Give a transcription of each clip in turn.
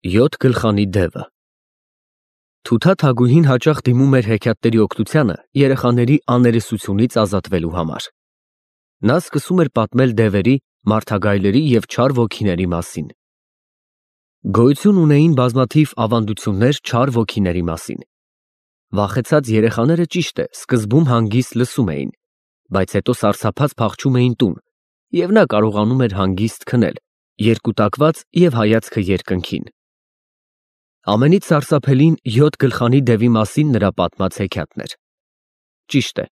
Յոթ գլխանի դևը Թութաթագուհին հաճախ դիմում էր հեքիաթների օգնությանը երեխաների աներեսությունից ազատվելու համար։ Նա սկսում էր պատմել դևերի, մարդագայլերի և չար ոգիների մասին։ Գոյություն ունեին բազմաթիվ ավանդություններ չար ոգիների մասին։ Վախեցած երեխաները, ճիշտ է, սկզբում հանգիստ լսում էին, բայց հետո սարսափած փախչում էին տուն, և նա կարողանում էր հանգիստ քնել, երկուտակված և հայացքը երկնքին։ Ամենից սարսափելին յոթ գլխանի դևի մասին նրա պատմած հեքիաթն էր։ Ճիշտ է,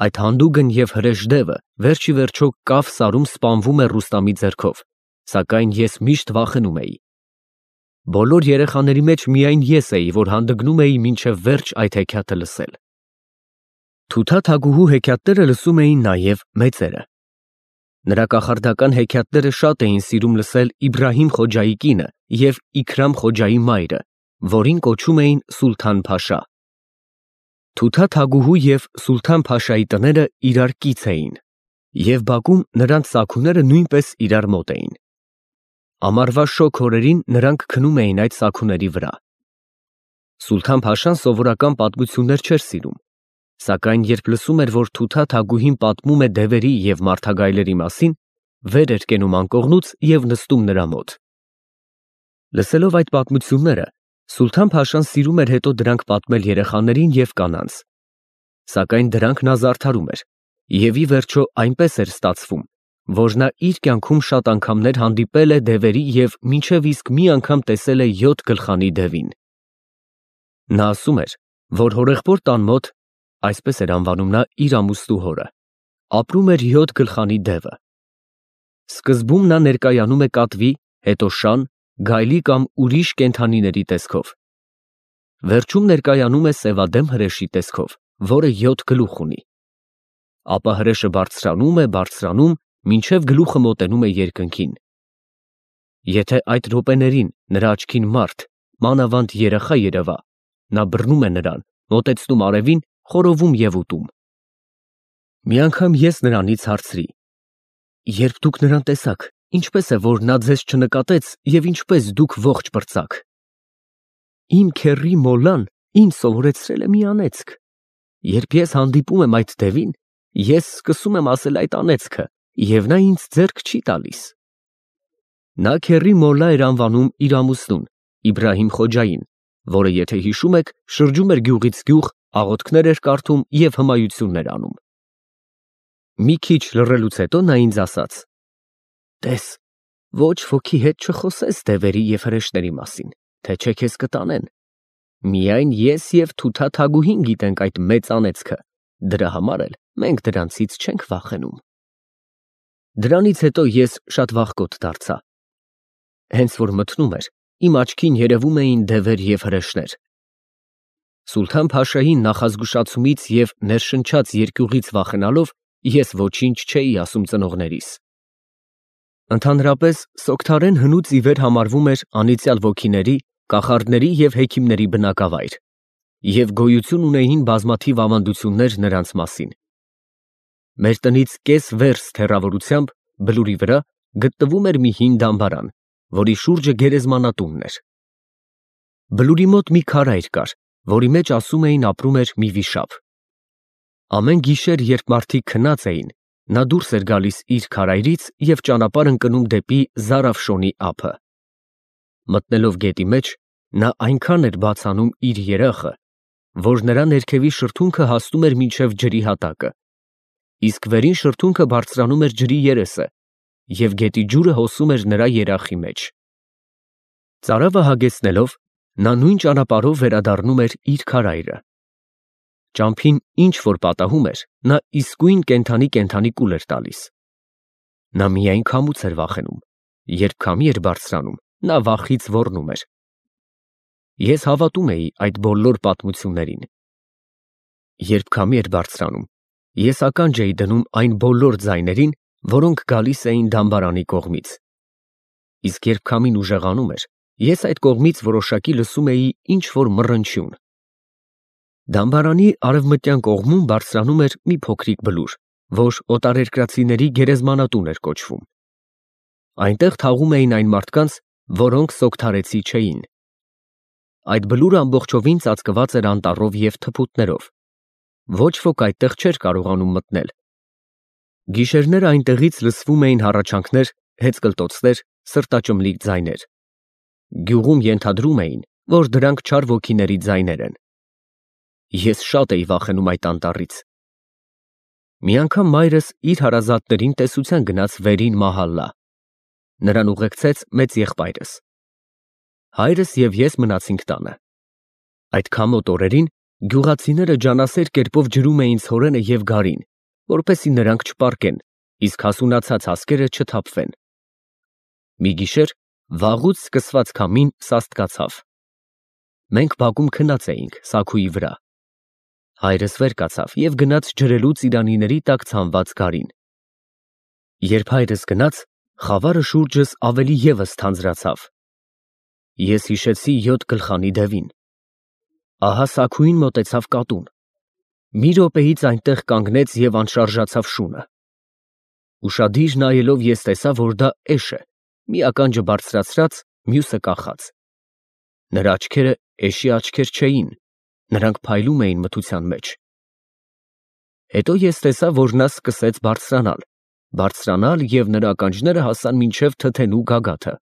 այդ հանդուգն և հրեշ դևը վերջիվերջո կավ սարում սպանվում է Ռուստամի ձեռքով, սակայն ես միշտ վախենում էի։ Բոլոր երեխաների մեջ միայն ես էի, որ հանդգնում էի մինչև վերջ այդ հեքիաթը լսել։ Թութաթագուհու հեքիաթները լսում էին նաև մեծերը։ Նրա կախարդական հեքիաթները շատ էին սիրում լսել Իբրահիմ Խոջայի կինը և Իքրամ Խոջայի մայրը, որին կոչում էին Սուլթան֊փաշա։ Թութաթագուհու և Սուլթան֊փաշայի տները իրար կից էին, և բակում նրանց սաքուները նույնպես իրար մոտ էին։ Ամառվա շոգ օրերին նրանք քնում էին այդ սաքուների վրա։ Սուլթան֊փաշան սովորական պատմություններ չէր սիրում, սակայն երբ լսում էր, որ Թութաթագուհին պատմում է դևերի և մարդագայլերի մասին, վեր էր կենում անկողնուց և նստում նրա մոտ։ Լսելով այդ պատմությունները, Սուլթան֊փաշան սիրում էր հետո դրանք պատմել երեխաներին և կանանց, սակայն դրանք նա զարդարում էր, և ի վերջո այնպես էր ստացվում, որ նա իր կյանքում շատ անգամներ հանդիպել է դևերի և մինչև իսկ մի անգամ տեսել է յոթ գլխանի դևին։ Նա ասում էր, որ հորեղբոր տան մոտ, այսպես էր անվանում նա իր ամուսնու հորը, ապրում էր յոթ գլխանի դևը։ Սկզբում նա ներկայանում է կատվի, հետո շան, գայլի կամ ուրիշ կենդանիների տեսքով։ Վերջում ներկայանում է սևադեմ հրեշի տեսքով, որը յոթ գլուխ ունի։ Ապա հրեշը բարձրանում, մինչև գլուխը մոտենում է երկնքին։ Եթե այդ րոպեներին նրա աչքին մարդ, մանավանդ երեխա երևա, նա բռնում է նրան, մոտեցնում արևին, խորովում և ուտում։ Մի անգամ ես նրանից հարցրի. «Երբ դուք նրան տեսաք, ինչպես է, որ նա ձեզ չնկատեց և ինչպես դուք ողջ պրծաք»։ Իմ քեռի մոլլան ինձ սովորեցրել է մի անեծք. երբ ես հանդիպում եմ այդ դևին, ես սկսում եմ ասել այդ անեծքը, և նա ինձ ձեռք չի տալիս։ Նա քեռի մոլլա էր անվանում իր ամուսնուն, Իբրահիմ Խոջային, որը, եթե հիշում եք, շրջում էր գյուղից գյուղ, աղոթքներ էր կարդում և հմայություններ անում։ Մի քիչ լռելուց հետո նա ինձ ասաց. «Տես, ոչ ոքի հետ չխոսես դևերի և հրեշների մասին, թե չէ քեզ կտանեն։ Միայն ես և Թութաթագուհին գիտենք այդ մեծ անեծքը, դրա համար էլ մենք դրանցից չենք վախենում»։ Դրանից հետո ես շատ վախկոտ դարձա։ Հենց որ մթնում էր, իմ աչքին երևում էին դևեր և հրեշներ։ Սուլթան֊փաշայի նախազգուշացումից և ներշնչած երկյուղից վախենալով, ես ոչինչ չէի ասում ծնողներիս։ Ընդհանրապես, Սոգթարեն հնուց ի վեր համարվում էր անիծյալ ոգիների, կախարդների և հեքիմների բնակավայր, և գոյություն ունեին բազմաթիվ ավանդություններ նրանց մասին։ Մեր տնից կես վերստ հեռավորությամբ, բլուրի վրա, գտնվում էր մի հին դամբարան, որի շուրջը գերեզմանատունն էր։ Բլուրի մոտ մի քարայր կար, որի մեջ ասում էին ապրում էր մի վիշապ։ Ամեն գիշեր, երբ մարդիկ քնած էին, նա դուրս էր գալիս իր քարայրից և ճանապարհ ընկնում դեպի Զարաֆշոնի ափը։ Մտնելով գետի մեջ, նա այնքան էր բաց անում իր երախը, որ նրա ներքևի շրթունքը հասնում էր մինչև ջրի հատակը, իսկ վերին շրթունքը բարձրանում էր ջրի երեսը, և գետի ջուրը հոսում էր նրա երախի մեջ։ Ծարավը հագեցնելով, նա նույն ճանապարհով վերադառնում էր իր քարայրը։ Ճամփին ինչ որ պատահում էր, նա իսկույն կենդանի կուլ էր տալիս։ Նա միայն քամուց էր վախենում, երբ քամի էր բարձրանում, նա վախից ոռնում էր։ Ես հավատում էի այդ բոլոր պատմություններին։ Երբ քամի էր բարձրանում, ես ականջ էի դնում այն բոլոր ձայներին, որոնք գալիս էին դամբարանի կողմից։ Իսկ երբ քամին ուժեղանում էր, ես այդ կողմից որոշակի լսում էի ինչ-որ մռնչյուն։ Դամբարանի արևմտյան կողմում բարձրանում էր մի փոքրիկ բլուր, որ օտարերկրացիների գերեզմանատուն էր կոչվում։ Այնտեղ թաղում էին այն մարդկանց, որոնք սոկթարեցի չէին։ Այդ բլուրը ամբողջովին ծածկված էր անտառով և թփուտներով։ Ոչ ոք այդտեղ չէր կարողանում մտնել։ Գիշերները այնտեղից լսվում էին հառաչանքներ, հեծկլտոցներ, սրտաճմլիկ ձայներ։ Գյուղում ենթադրում էին, որ դրանք չար ոգիների ձայներ են։ Ես շատ էի վախենում այդ անտառից։ Մի անգամ մայրս իր հարազատներին տեսության գնաց վերին մահալլա։ Նրան ուղեկցեց մեծ եղբայրս։ Հայրս և ես մնացինք տանը։ Այդ քամոտ օրերին գյուղացիները ջանասեր կերպով ջրում էին ցորենը և գարին, որպեսզի նրանք չպառկեն, իսկ հասունացած հասկերը չթափվեն։ Մի գիշեր վաղուց սկսված քամին սաստկացավ։ Մենք բակում քնած էինք սաքուի վրա։ Հայրս վեր կացավ և գնաց ջրելու ծիրանիների տակ ցանված գարին։ Երբ հայրս գնաց, խավարը շուրջս ավելի ևս թանձրացավ։ Ես հիշեցի 7 գլխանի դևին։ Ահա սաքուին մոտեցավ կատուն։ Մի րոպեից այնտեղ կանգնեց և անշարժացավ շունը։ Ուշադիր նայելով ես տեսա, որ դա էշ է, մի ականջը բարձրացրած, մյուսը կախած։ Նրա աչքերը էշի աչքեր չէին, նրանք փայլում էին մթության մեջ։ Հետո ես տեսա, որ նա սկսեց բարձրանալ և նրա ականջները հասան մինչև թթենու գագաթը։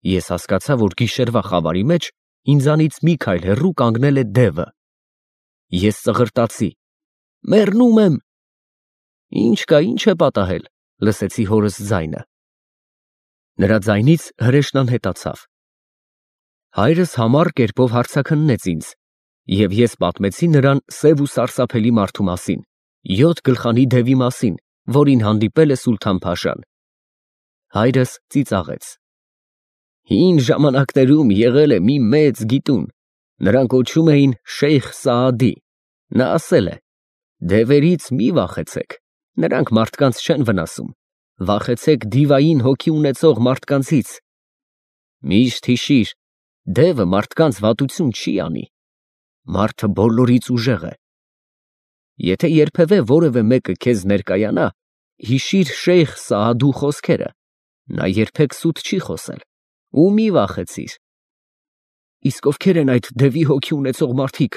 Ես հասկացա, որ գիշերվա խավարի մեջ ինձանից մի քայլ հեռու կանգնել է դևը։ Ես ծղրտացի. «Մեռնում եմ»։ «Ինչ կա, ինչ է պատահել», լսեցի հորս ձայնը։ Նրա ձայնից հրեշն անհետացավ։ Հայրս համառ կերպով հարցաքննեց ինձ, և ես պատմեցի նրան սև ու սարսափելի մարդու մասին, 7 գլխանի դևի մասին, որին հանդիպել է Սուլթան֊փաշան։ Հայրս ծիծաղեց. «Հին ժամանակներում եղել է մի մեծ գիտուն, նրան կոչում էին Շեյխ Սաադի, նա ասել է. դևերից մի վախեցեք, նրանք մարդկանց չեն վնասում, վախեցեք դիվային հոգի ունեցող մարդկանցից։ Միշտ հիշիր, դևը մարդկանց վատություն չի անի, մարդը բոլորից ուժեղ է։ Եթե երբևէ որևէ մեկը քեզ ներկայանա, հիշիր Շեյխ Սաադու խոսքերը, նա երբեք սուտ չի խոսել, ու մի վախեցիր»։ «Իսկ ովքեր են այդ դևի հոգի ունեցող մարդիկ,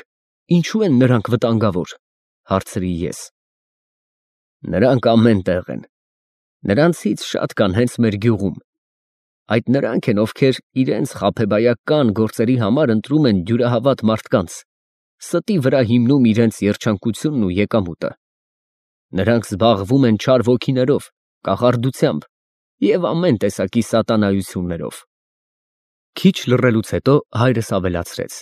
ինչու են նրանք վտանգավոր», հարցրի ես։ «Նրանք ամեն տեղ են, նրանցից շատ կան հենց մեր գյուղում։ Այդ նրանք են, ովքեր իրենց խաբեբայական գործերի համար ընտրում են դյուրահավատ մարդկանց, ստի վրա հիմնում իրենց երջանկությունն ու եկամուտը։ Նրանք զբաղվում են չար ոգիներով, կախարդությամբ և ամեն տեսակի սատանայություններով»։ Քիչ լռելուց հետո հայրս ավելացրեց.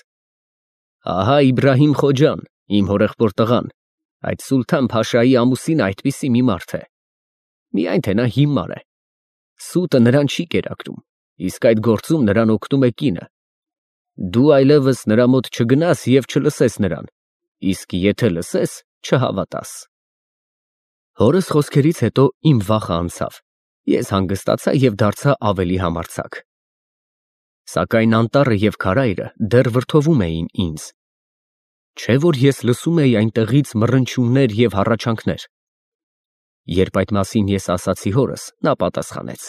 «Ահա Իբրահիմ Խոջան, իմ հորեղբոր տղան, այդ Սուլթան֊փաշայի ամուսինը այդպիսի մի մարդ է։ Միայն թե նա հիմար է։ Սուտը նրան չի կերակրում, իսկ այդ գործում նրան օգնում է կինը։ Դու այլևս նրա մոտ չգնաս և չլսես նրան, իսկ եթե լսես, չհավատաս»։ Հորս խոսքերից հետո իմ վախը անցավ, ես հանգստացա և դարձա ավելի համարձակ։ Սակայն անտառը և քարայրը դեռ վրդովում էին ինձ։ Չէ՞ որ ես լսում էի այնտեղից մռնչյուններ և հառաչանքներ։ Երբ այդ մասին ես ասացի հորս, նա պատասխանեց.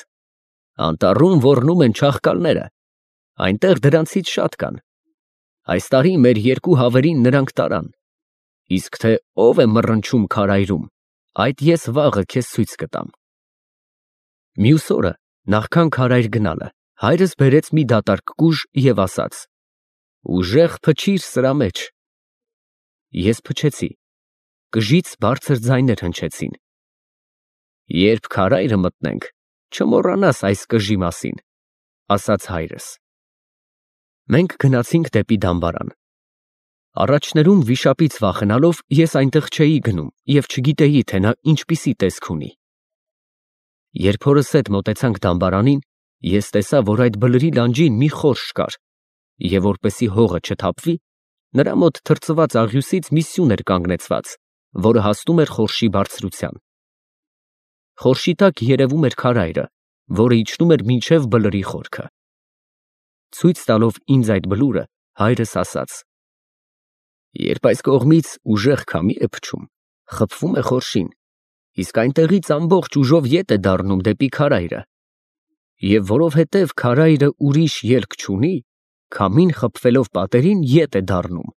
«Անտառում ոռնում են չաղկալները, այնտեղ դրանցից շատ կան։ Այս տարի մեր 2 հավերին նրանք տարան, իսկ թե ով է մռնչում քարայրում, այդ ես վաղը քեզ ցույց կտամ»։ Մյուս օրը, նախքան քարայր գնալը, հայրս բերեց մի դատարկ կուժ և ասաց. «Ուժեղ փչիր սրա մեջ»։ Ես փչեցի։ Կժից բարձր ձայներ հնչեցին։ «Երբ քարայրը մտնենք, չմոռանաս այս կժի մասին», ասաց հայրս։ Մենք գնացինք դեպի դամբարան։ Առաջներում վիշապից վախենալով ես այնտեղ չէի գնում և չգիտեի, թե նա ինչպիսի տեսք ունի։ Երբ հորս հետ մոտեցանք դամբարանին, ես տեսա, որ այդ բլրի լանջին մի խորշ կար, և որպեսզի հողը չթափվի, նրա մոտ թրծված աղյուսից մի սյուն էր կանգնեցված, որը հասնում էր խորշի բարձրության։ Խորշի տակ երևում էր քարայրը, որը իջնում էր մինչև բլրի խորքը։ Ցույց տալով ինձ այդ բլուրը, հայրս ասաց. «Երբ այս կողմից ուժեղ քամի է փչում, խփվում է խորշին, իսկ այնտեղից ամբողջ ուժով ետ է դառնում դեպի քարայրը։ Եվ որովհետև քարայրը ուրիշ ելք չունի, քամին խփվելով պատերին ետ է դառնում։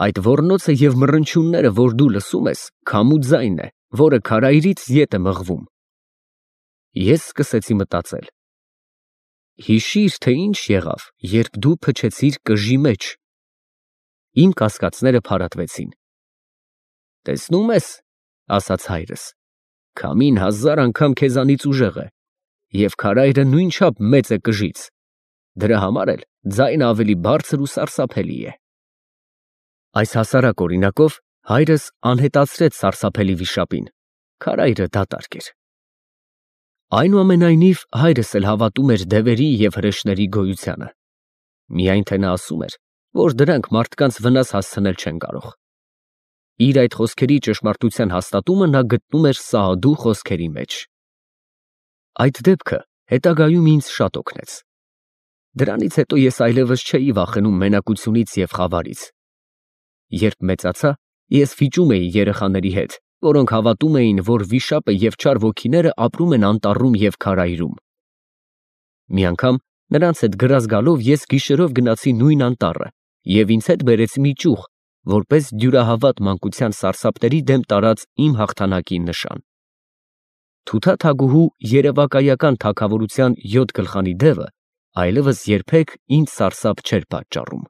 Այդ ոռնոցը և մռնչյունները, որ դու լսում ես, քամու ձայն է, որը քարայրից ետ է մղվում։ Ես սկսեցի մտածել. հիշի՞ր, թե ինչ եղավ, երբ դու փչեցիր կժի մեջ։ Իմ կասկածները փարատվեցին։ Տեսնում ես, ասաց հայրս, քամին 1000 անգամ քեզանից ուժեղ է, և քարայրը նույնչափ մեծ է կժից, դրա համար էլ ձայնը ավելի բարձր ու սարսափելի է։ Այս հասարակ օրինակով հայրս անհետացրեց սարսափելի վիշապին, քարայրը դատարկ էր։ Այնուամենայնիվ հայրս էլ հավատում էր դևերի և հրեշների գոյությանը, միայն թե նա ասում էր, որ դրանք մարդկանց վնաս հասցնել չեն կարող։ Իր այդ խոսքերի ճշմարտության հաստատումը նա գտնում էր Սաադու խոսքերի մեջ։ Այդ դեպքը հետագայում ինձ շատ օգնեց։ Դրանից հետո ես այլևս չէի վախենում մենակությունից և խավարից։ Երբ մեծացա, ես վիճում էի երեխաների հետ, որոնք հավատում էին, որ վիշապը և չար ոգիները ապրում են անտառում և քարայրում։ Մի անգամ նրանց հետ գրազ գալով ես գիշերով գնացի նույն անտառը և ինձ հետ բերեցի մի ճյուղ, որպես դյուրահավատ մանկության սարսափների դեմ տարած իմ հաղթանակի նշան։ Թութաթագուհու երևակայական թագավորության 7 գլխանի դևը այլևս երբեք ինձ սարսափ չէր պատճառում։